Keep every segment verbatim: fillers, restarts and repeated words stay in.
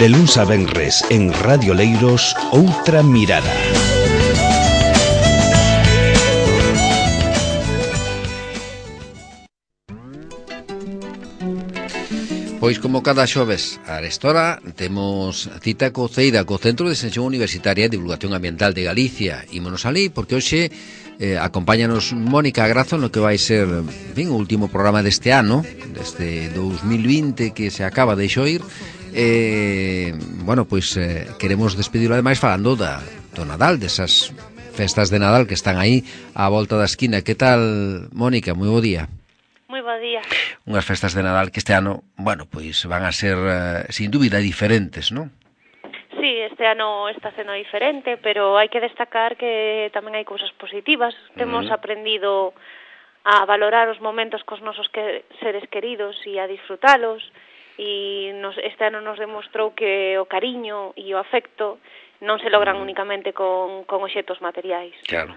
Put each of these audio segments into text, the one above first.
De luns a venres en Radio Leiros, Outra Mirada. Pois como cada xoves a esta hora temos cita co CEIDA, co Centro de Extensión Universitaria e Divulgación Ambiental de Galicia. Ímonos alí porque hoxe eh, acompáñanos Mónica Grazo no que vai ser, en fin, o último programa deste ano, deste dous mil vinte que se acaba de xoir. Eh, bueno, pois eh, queremos despedirlo ademais falando da, do Nadal, desas festas de Nadal que están aí á volta da esquina. Que tal, Mónica? Moi bo día. Moi bo día. Unhas festas de Nadal que este ano, bueno, pois van a ser, uh, sin dúbida, diferentes, non? Sí, este ano está sendo diferente, pero hai que destacar que tamén hai cousas positivas. Uh-huh. Temos aprendido a valorar os momentos cos nosos que, seres queridos e a disfrutalos, e nos, este ano nos demostrou que o cariño e o afecto non se logran uh-huh. únicamente con, con obxetos materiais. Claro.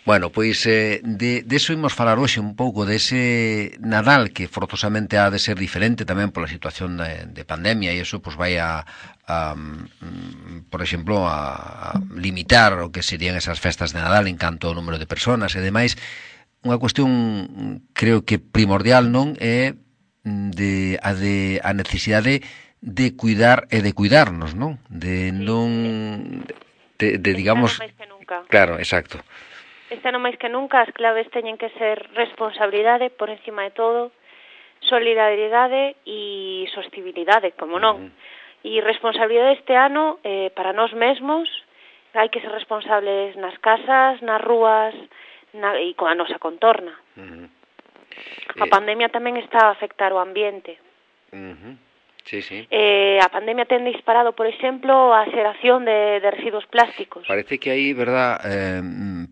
Bueno, pois eh, de, de eso imos falar hoxe un pouco dese Nadal que forzosamente ha de ser diferente tamén pola situación de, de pandemia, e eso pois vai a, a um, por exemplo a, a limitar o que serían esas festas de Nadal en canto ao número de personas e demais. Unha cuestión creo que primordial, non, é de a de a necesidade de cuidar e de cuidarnos, non? De non de, de digamos, máis que nunca. Claro, exacto. Este ano máis que nunca as claves teñen que ser responsabilidade por encima de todo, solidariedade e sostibilidade, como non. Uh-huh. E responsabilidade este ano eh, para nós mesmos, hai que ser responsables nas casas, nas rúas na, e coa nosa contorna. Uh-huh. A eh... pandemia tamén está a afectar o ambiente. Uh-huh. Sí, sí. Eh, a pandemia ten disparado, por exemplo, a xeración de, de residuos plásticos. Parece que aí, verdad, eh,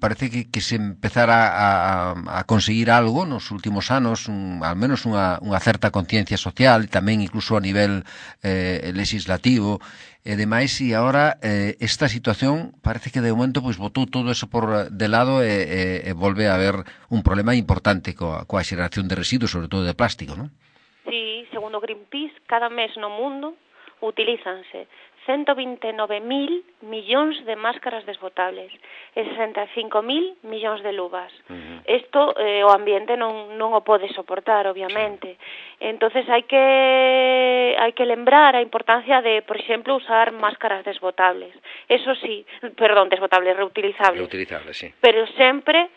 parece que, que se empezara a, a conseguir algo nos últimos anos, un, al menos unha, unha certa conciencia social, tamén incluso a nivel eh, legislativo e demais, e agora eh, esta situación parece que de momento pois botou todo eso por de lado e, e, e volve a haber un problema importante coa, coa xeración de residuos, sobre todo de plástico, non? Sí, segundo Greenpeace, cada mes no mundo utilízanse ciento vinte e nove mil millóns de máscaras desbotables e sesenta e cinco mil millóns de luvas. Uh-huh. Isto eh, o ambiente non, non o pode soportar, obviamente. Sí. Entonces hai que hai que lembrar a importancia de, por exemplo, usar máscaras desbotables. Eso sí, perdón, desbotables, reutilizables. Reutilizables, sí. Pero sempre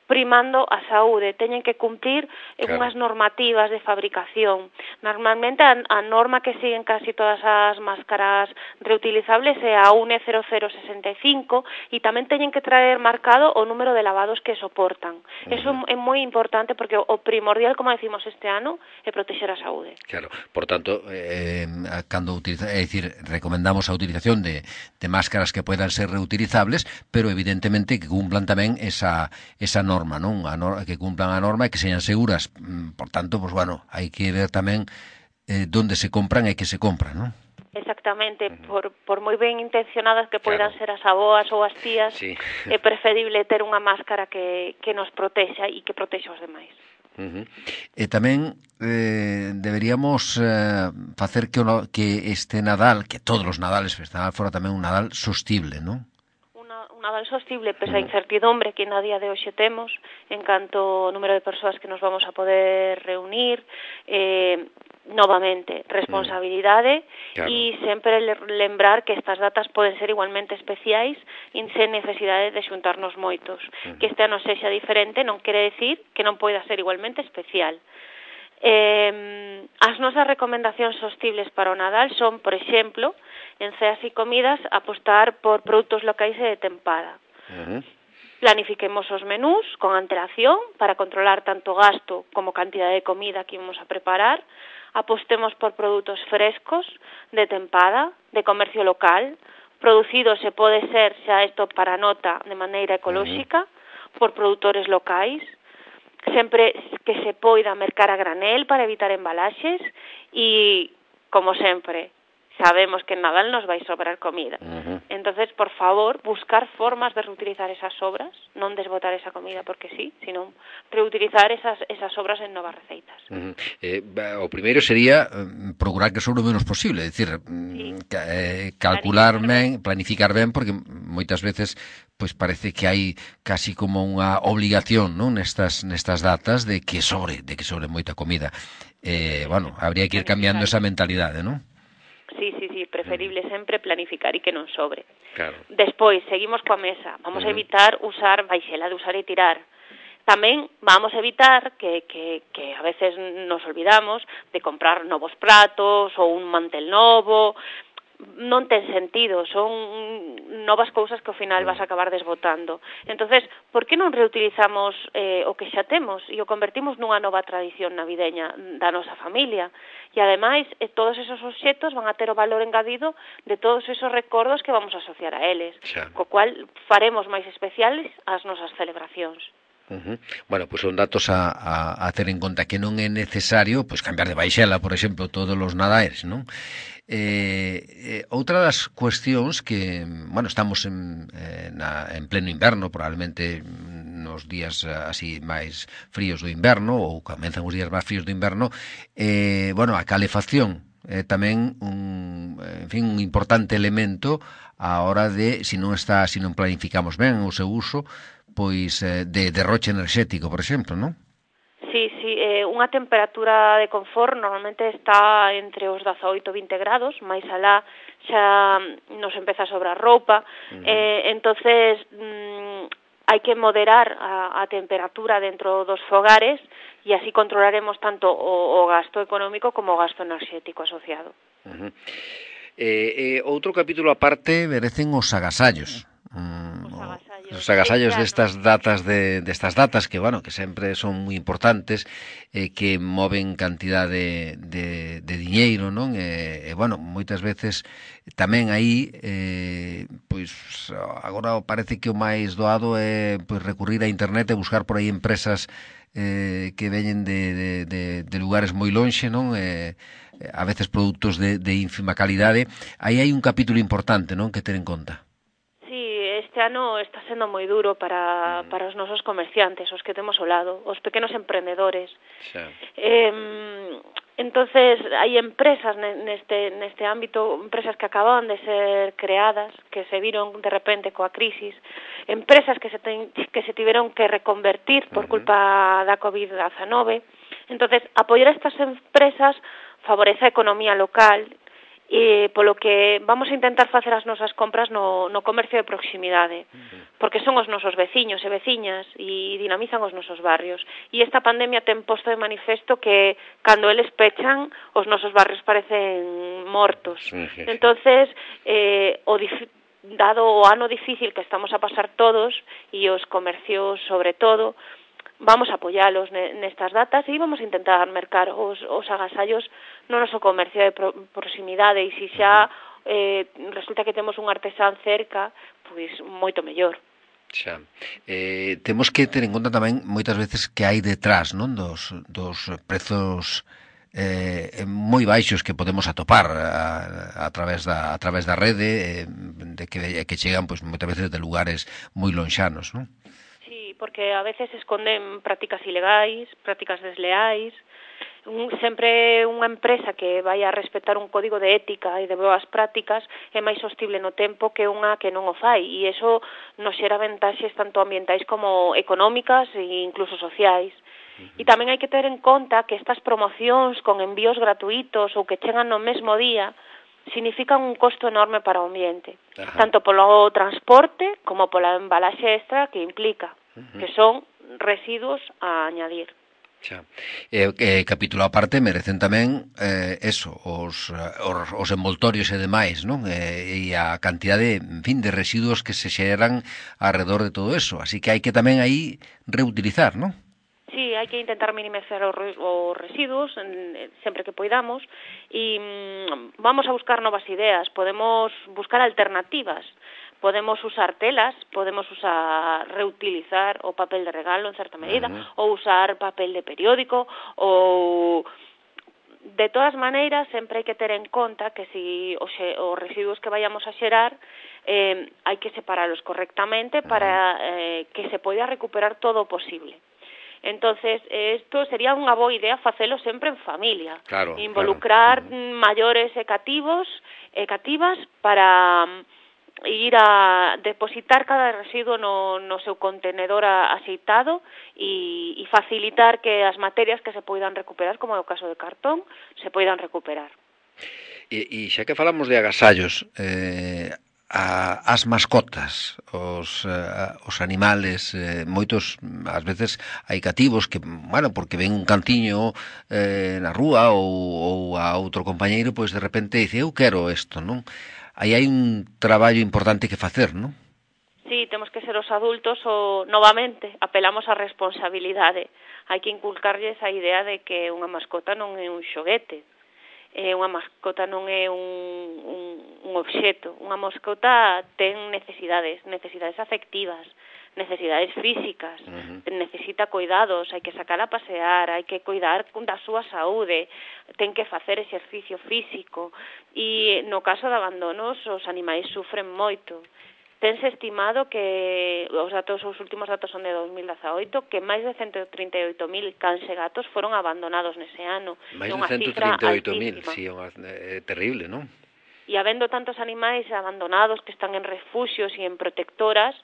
primando a saúde, teñen que cumplir claro. unhas normativas de fabricación. Normalmente a, a norma que siguen casi todas as máscaras reutilizables é a U N E cero cero sesenta e cinco e tamén teñen que traer marcado o número de lavados que soportan. Uh-huh. Eso é moi importante porque o primordial, como decimos este ano, é protexer a saúde. Claro, por tanto, eh, cando utiliza, é dicir, recomendamos a utilización de, de máscaras que puedan ser reutilizables, pero evidentemente que cumplan tamén esa, esa norma. norma, non? A norma, que cumplan a norma e que sean seguras. Por tanto, pues bueno, hai que ver tamén eh, donde se compran e que se compran, non? Exactamente, uh-huh. por, por moi ben intencionadas que poidan claro. ser as aboas ou as tías, sí. é preferible ter unha máscara que, que nos protexa e que protexa os demais. Uh-huh. E tamén eh, deberíamos eh, facer que, o, que este Nadal, que todos os Nadales, este Nadal fora tamén un Nadal sostible, non? Un Nadal sostible, pese a incertidumbre que na día de hoxe temos en canto ao número de persoas que nos vamos a poder reunir, eh, novamente, responsabilidade claro. e sempre lembrar que estas datas poden ser igualmente especiais e sen necesidade de xuntarnos moitos. Uh-huh. Que este ano sexa diferente non quere decir que non poida ser igualmente especial. Eh, as nosas recomendacións sostibles para o Nadal son, por exemplo, en ceas e comidas, apostar por produtos locais e de tempada. Uh-huh. Planifiquemos os menús con antelación para controlar tanto gasto como cantidade de comida que ímos a preparar. Apostemos por produtos frescos, de tempada, de comercio local, producidos se pode ser xa isto para nota de maneira ecolóxica, uh-huh. por produtores locais, sempre que se poida mercar a granel para evitar embalaxes e, como sempre, sabemos que en Nadal nos vai sobrar comida. Uh-huh. Entón, Entonces, por favor, buscar formas de reutilizar esas sobras, non desbotar esa comida porque sí, sino reutilizar esas, esas sobras en novas receitas. Uh -huh. eh, o primeiro sería eh, procurar que sobre o menos posible, é dicir, sí. eh, calcular ben, planificar ben, porque moitas veces pois parece que hai casi como unha obligación, non, nestas nestas datas de que sobre, de que sobre moita comida. Eh, bueno, habría que ir cambiando esa mentalidade, non? Sí, sí, sí, preferible uh-huh. sempre planificar e que non sobre. Claro. Despois, seguimos coa mesa. Vamos uh-huh. a evitar usar vaixela de usar e tirar. Tamén vamos a evitar que, que, que a veces nos olvidamos de comprar novos pratos ou un mantel novo. Non ten sentido, son novas cousas que ao final vas a acabar desbotando. Entonces, por que non reutilizamos eh, o que xa temos e o convertimos nunha nova tradición navideña da nosa familia? E ademais, eh, todos esos obxetos van a ter o valor engadido de todos esos recordos que vamos a asociar a eles, xa. Co cual faremos máis especiales as nosas celebracións. Uh -huh. Bueno, pois pues son datos a, a, a ter en conta, que non é necesario pois pues, cambiar de baixela, por exemplo, todos os nadais, non? Eh, eh, outra das cuestións que, bueno, estamos en, eh, na, en pleno inverno, probablemente nos días así máis fríos do inverno, ou comenzan os días máis fríos do inverno, eh, bueno, a calefacción é tamén un, en fin, un importante elemento a hora de, se non está, se non planificamos ben o seu uso, pois eh, de derroche enerxético, por exemplo, non? Sí, sí, eh, unha temperatura de confort normalmente está entre os dezaoito e vinte grados, máis alá xa nos empeza a sobrar roupa, uh-huh. eh, entonces mm, hai que moderar a, a temperatura dentro dos fogares e así controlaremos tanto o, o gasto económico como o gasto enerxético asociado. Uh-huh. eh, eh, outro capítulo aparte merecen os agasallos. Mm. Os agasallos destas datas de destas datas que, bueno, que sempre son moi importantes, eh, que moven cantidade de, de diñeiro, non? E, eh, bueno, moitas veces tamén aí eh, pois agora parece que o máis doado é pois recurrir a internet e buscar por aí empresas eh, que veñen de, de, de, de lugares moi lonxe, non? Eh, a veces produtos de, de ínfima calidade. Aí hai un capítulo importante, non, que ter en conta. Este ano está sendo moi duro para, para os nosos comerciantes, os que temos ao lado, os pequenos emprendedores. Sí. Eh, entonces, hai empresas neste, neste ámbito, empresas que acaban de ser creadas, que se viron de repente coa crisis, empresas que se, ten, que se tiveron que reconvertir por culpa da covid diecinueve. Entonces, apoiar estas empresas favorece a economía local, e polo que vamos a intentar facer as nosas compras no, no comercio de proximidade, porque son os nosos veciños e veciñas e dinamizan os nosos barrios. E esta pandemia ten posto de manifesto que cando eles pechan, os nosos barrios parecen mortos. Sí, sí, sí. Entonces, eh, o dado o ano difícil que estamos a pasar todos, e os comercios sobre todo, vamos a apoialos nestas datas e vamos a intentar mercar os, os agasallos no noso comercio de pro, proximidade, e se xa eh, resulta que temos un artesán cerca, pois moito mellor. Xa. Eh, temos que ter en conta tamén moitas veces que hai detrás, non, dos, dos prezos eh, moi baixos que podemos atopar a, a través da a través da rede, eh, de que que chegan pois moitas veces de lugares moi lonxanos, non? Porque a veces esconden prácticas ilegais, prácticas desleais. Un, sempre unha empresa que vai a respetar un código de ética e de boas prácticas é máis sostible no tempo que unha que non o fai, e iso nos xera vantaxes tanto ambientais como económicas e incluso sociais. E tamén hai que ter en conta que estas promocións con envíos gratuitos ou que chegan no mesmo día significan un costo enorme para o ambiente, Ajá. tanto polo transporte como pola embalaxe extra que implica, uh-huh. que son residuos a añadir. Xa. E, eh, capítulo aparte merecen tamén eh, eso, os, os, os envoltorios e demais, non? Eh, e a cantidade, en fin, de residuos que se xeran alrededor de todo eso, así que hai que tamén aí reutilizar, non? Sí, hai que intentar minimizar os residuos sempre que poidamos e vamos a buscar novas ideas, podemos buscar alternativas, podemos usar telas, podemos usar reutilizar o papel de regalo en certa medida, uh-huh. ou usar papel de periódico, ou de todas maneiras, sempre hai que ter en conta que si os, os residuos que vayamos a xerar eh, hai que separalos correctamente para eh, que se poida recuperar todo o posible. Entonces, isto sería unha boa idea facelo sempre en familia, claro, involucrar claro. maiores e cativos e cativas para ir a depositar cada residuo no, no seu contenedor axeitado e, e facilitar que as materias que se poidan recuperar, como é o caso do cartón, se poidan recuperar. E, e xa que falamos de agasallos, eh, a, as mascotas, os, uh, os animales, eh, moitos, ás veces, hai cativos que, bueno, porque ven un cantiño eh, na rúa ou, ou a outro compañeiro, pois de repente dice, eu quero isto, non? Aí hai un traballo importante que facer, non? Sí, temos que ser os adultos o, novamente, apelamos á responsabilidade. Hai que inculcarlles a idea de que unha mascota non é un xoguete. Eh, unha mascota non é un, un, un obxeto. Unha mascota ten necesidades, necesidades afectivas, necesidades físicas, uh-huh. necesita cuidados, hai que sacar a pasear, hai que cuidar da súa saúde, ten que facer exercicio físico, e no caso de abandonos os animais sufren moito. Tense estimado que, os datos, os últimos datos son de dos mil dezaoito, que máis de ciento trinta e oito mil cans e gatos foron abandonados nese ano. Máis de ciento trinta e oito mil, sí, é terrible, non? E habendo tantos animais abandonados que están en refuxios e en protectoras,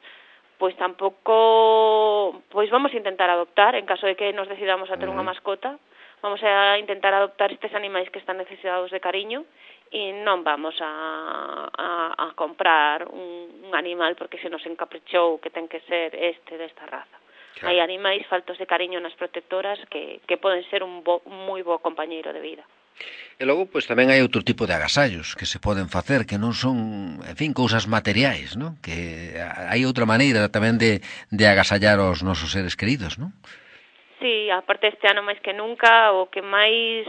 pois tampouco, pois vamos a intentar adoptar, en caso de que nos decidamos a ter uh-huh. unha mascota, vamos a intentar adoptar estes animais que están necesitados de cariño, e non vamos a, a, a comprar un, un animal porque se nos encaprichou que ten que ser este desta raza. Claro. Hai animais faltos de cariño nas protectoras que, que poden ser un, bo, un moi bo compañeiro de vida. E logo, pois tamén hai outro tipo de agasallos que se poden facer, que non son, en fin, cousas materiais, non? Que hai outra maneira tamén de, de agasallar os nosos seres queridos, non? Sí, aparte este ano máis que nunca, o que máis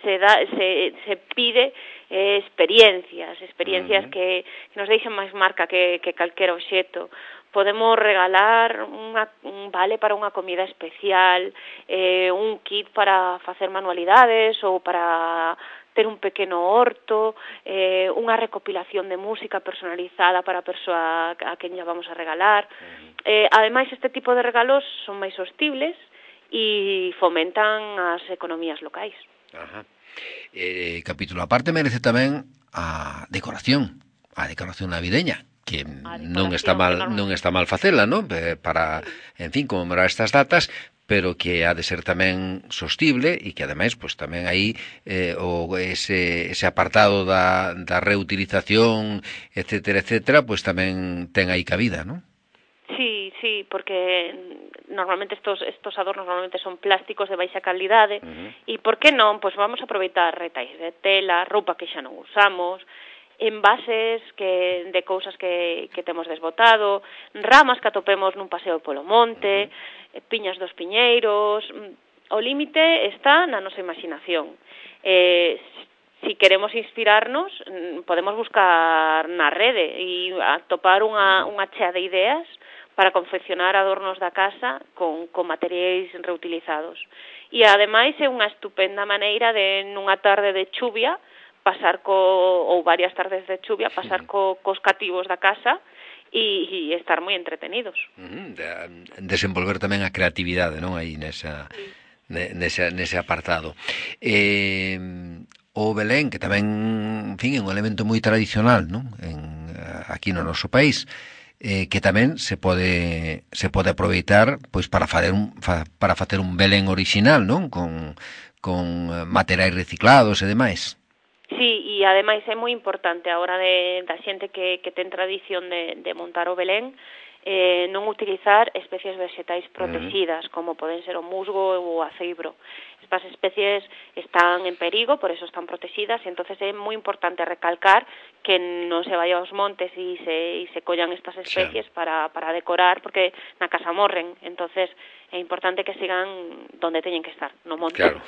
se da, se, se pide eh, experiencias, experiencias uh-huh. que, que nos deixan máis marca que, que calquera obxeto. Podemos regalar unha, un vale para unha comida especial, eh, un kit para facer manualidades ou para ter un pequeno horto, eh, unha recopilación de música personalizada para a persoa a quen lla vamos a regalar. Uh-huh. Eh, ademais, este tipo de regalos son máis sostibles e fomentan as economías locais. Ajá. Eh, capítulo aparte merece tamén a decoración, a decoración navideña, que non está mal, non está mal facela, non? Para, en fin, conmemorar estas datas, pero que ha de ser tamén sostible e que ademais, pois tamén aí eh, o ese ese apartado da da reutilización, etcétera, etcétera, pois tamén ten aí cabida, non? Sí, sí, porque normalmente estos estos adornos normalmente son plásticos de baixa calidade uh-huh. e por que non? Pois vamos a aproveitar retais de tela, roupa que xa non usamos, envases que de cousas que, que temos desbotado, ramas que atopemos nun paseo polo monte, uh-huh. piñas dos piñeiros. O límite está na nosa imaginación. Eh, si queremos inspirarnos, podemos buscar na rede e atopar unha, unha chea de ideas para confeccionar adornos da casa con, con materiais reutilizados. E, ademais, é unha estupenda maneira de, nunha tarde de chuvia, pasar co, ou varias tardes de chuvia, pasar co, cos cativos da casa e, e estar moi entretenidos. Uh-huh. De, desenvolver tamén a creatividade, non? Aí nesa, sí. nese, nese apartado. Eh, o Belén, que tamén, en fin, é un elemento moi tradicional, non? En, aquí no noso país, eh, que tamén se pode se pode aproveitar pois para facer un fa, para facer un Belén original, non? Con con materiais reciclados e demais. Sí, e ademais é moi importante a hora de da xente que que ten tradición de de montar o Belén, eh, non utilizar especies vegetais protegidas, uh-huh. como poden ser o musgo ou o aceibro. Estas especies están en perigo, por eso están protegidas, e entonces é moi importante recalcar que non se vaya aos montes e se, e se collan estas especies sí. para, para decorar, porque na casa morren, entonces é importante que sigan donde teñen que estar, no monte. Claro.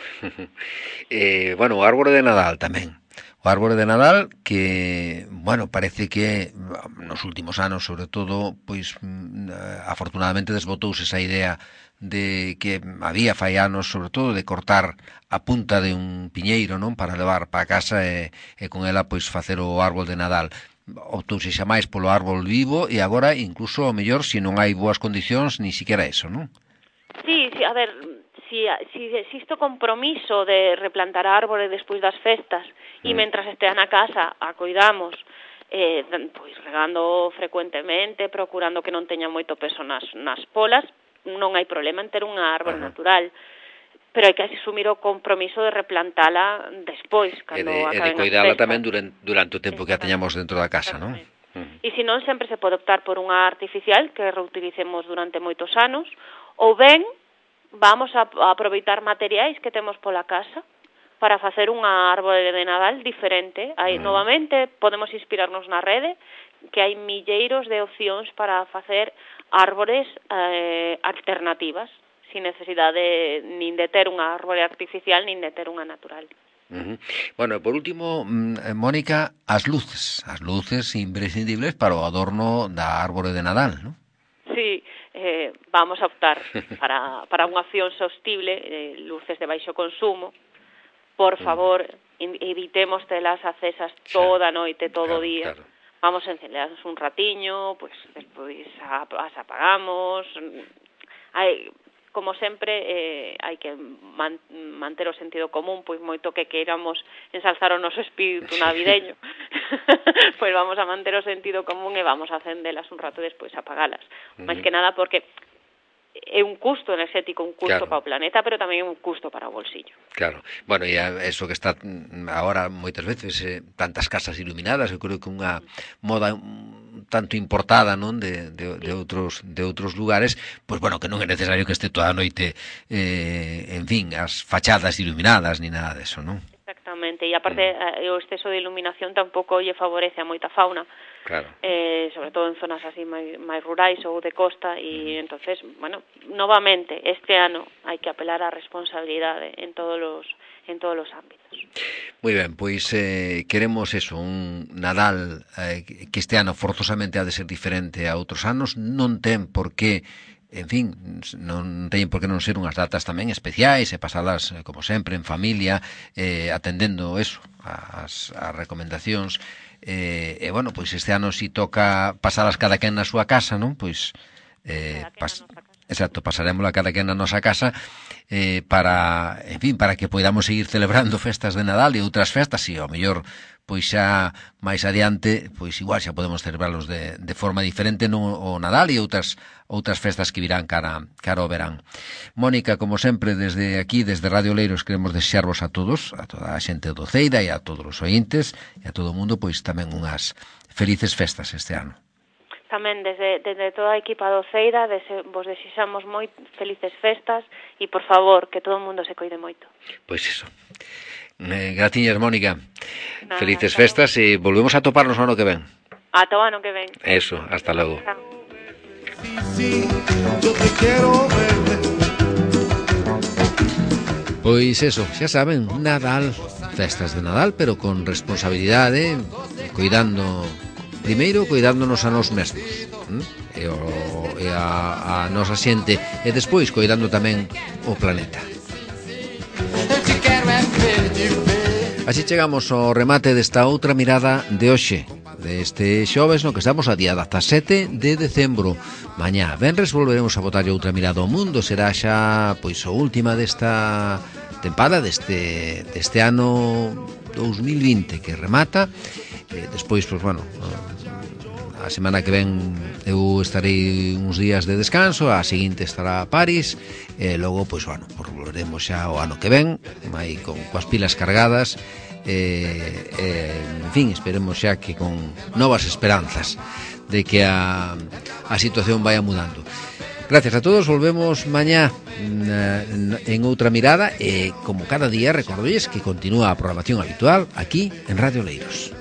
eh, bueno, o árbore de Nadal tamén. o árbore de Nadal que, bueno, parece que nos últimos anos, sobre todo, pois afortunadamente desbotouse esa idea de que había fai anos, sobre todo, de cortar a punta de un piñeiro, non, para levar para casa e, e con ela pois facer o árbol de Nadal. Optouse xa máis polo árbol vivo e agora incluso ao mellor se non hai boas condicións ni siquiera eso, non? Sí, sí, a ver, si, si existe o compromiso de replantar a árbore despois das festas mm. e mentras estea na casa a cuidamos, eh, pois regando frecuentemente, procurando que non teña moito peso nas, nas polas, non hai problema en ter unha árbore uh-huh. natural, pero hai que asumir o compromiso de replantala despois, cando e de, acaben e de cuidala tamén durante, durante o tempo que a teñamos dentro da casa, non? Uh-huh. E se non, sempre se pode optar por unha artificial que reutilicemos durante moitos anos, ou ben vamos a, a aproveitar materiais que temos pola casa para facer unha árbore de Nadal diferente. Aí, uh-huh. novamente, podemos inspirarnos na rede, que hai milleiros de opcións para facer árbores eh, alternativas, sin necesidade nin de ter unha árbore artificial, nin de ter unha natural. Uh-huh. Bueno, por último, Mónica, as luces, as luces imprescindibles para o adorno da árbore de Nadal, non? Sí, eh, vamos a optar para, para unha opción sostible, eh, luces de baixo consumo. Por favor, uh-huh. evitemos telas acesas toda a noite, todo o claro, día. Claro. Vamos a encenderlas un ratiño, pues despois as apagamos. Hai, como sempre, eh, hai que man, manter o sentido común, pois moito que queiramos ensalzar o noso espírito navideño. Pois vamos a manter o sentido común e vamos a acendelas un rato e despois apagalas. Uh-huh. Máis que nada porque é un custo enerxético, un custo claro. para o planeta, pero tamén é un custo para o bolsillo. Claro. Bueno, e eso que está agora moitas veces eh, tantas casas iluminadas, eu creo que unha moda un tanto importada, non, de, de, de outros de outros lugares, pois bueno, que non é necesario que este toda a noite eh, en fin, as fachadas iluminadas ni nada deso, non? Exactamente, e aparte mm. o exceso de iluminación tampouco lle favorece a moita fauna. Claro. Eh, sobre todo en zonas así máis, máis rurais ou de costa e mm. entonces, bueno, novamente este ano hai que apelar á responsabilidade en todos os en todos os ámbitos. Moi ben, pois eh, queremos eso, un Nadal eh, que este ano forzosamente ha de ser diferente a outros anos, non ten por que en fin, non teñen por que non ser unhas datas tamén especiais e pasadas, como sempre, en familia, eh, atendendo eso, as, as recomendacións. E, eh, eh, bueno, pois este ano si toca pasalas cada quen na súa casa, non? Pois, eh, pas, exacto, pasaremosla cada quen na nosa casa eh, para, en fin, para que poidamos seguir celebrando festas de Nadal e outras festas, e ao mellor pois xa máis adiante, pois igual xa podemos celebrarlos de, de forma diferente no o Nadal e outras outras festas que virán cara, cara ao verán. Mónica, como sempre, desde aquí, desde Radio Leiros, queremos desearvos a todos, a toda a xente do Ceira e a todos os ointes e a todo o mundo, pois tamén unhas felices festas este ano. Tamén desde, desde toda a equipa do Ceira dese, vos desexamos moi felices festas e, por favor, que todo o mundo se coide moito. Pois iso. Eh, gratiñas, Mónica. Nada, felices festas e volvemos a toparnos o ano que ven. Ata o ano que ven. Eso, hasta logo. Sí, yo te quiero verte. Pois eso, xa saben, Nadal, festas de Nadal, pero con responsabilidade, cuidando, primeiro, cuidándonos a nós mesmos, ¿eh? e, o, e a, a nosa xente, e despois, cuidando tamén o planeta. Así chegamos ao remate desta outra mirada de hoxe, deste xoves no que estamos a día dezasete de decembro. Mañá, venres, volveremos a botar outra mirada ao mundo. Será xa, pois, a última desta tempada, deste, deste ano dous mil vinte que remata. E despois, pois, bueno, a semana que ven eu estarei uns días de descanso, a seguinte estará a París, e logo, pois, bueno, volveremos xa o ano que ven, aí con coas pilas cargadas, e, e, en fin, esperemos xa que con novas esperanzas de que a, a situación vaya mudando. Gracias a todos, volvemos mañá en outra mirada e, como cada día, recordolles que continúa a programación habitual aquí en Radio Leiros.